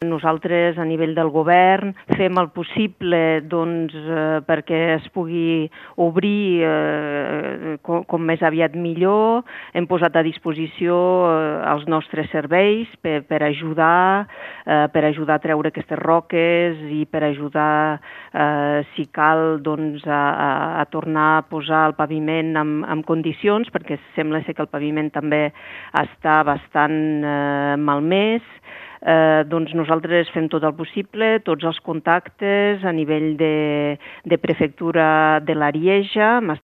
Nosaltres, a nivell del govern, fem el possible perquè es pugui obrir com més aviat millor. Hem posat a disposició els nostres serveis per ajudar a treure aquestes roques i per ajudar, si cal, a tornar a posar el paviment en condicions, perquè sembla ser que el paviment també està bastant malmès. Nosaltres fem tot el possible, tots els contactes a nivell de prefectura de l'Arieja.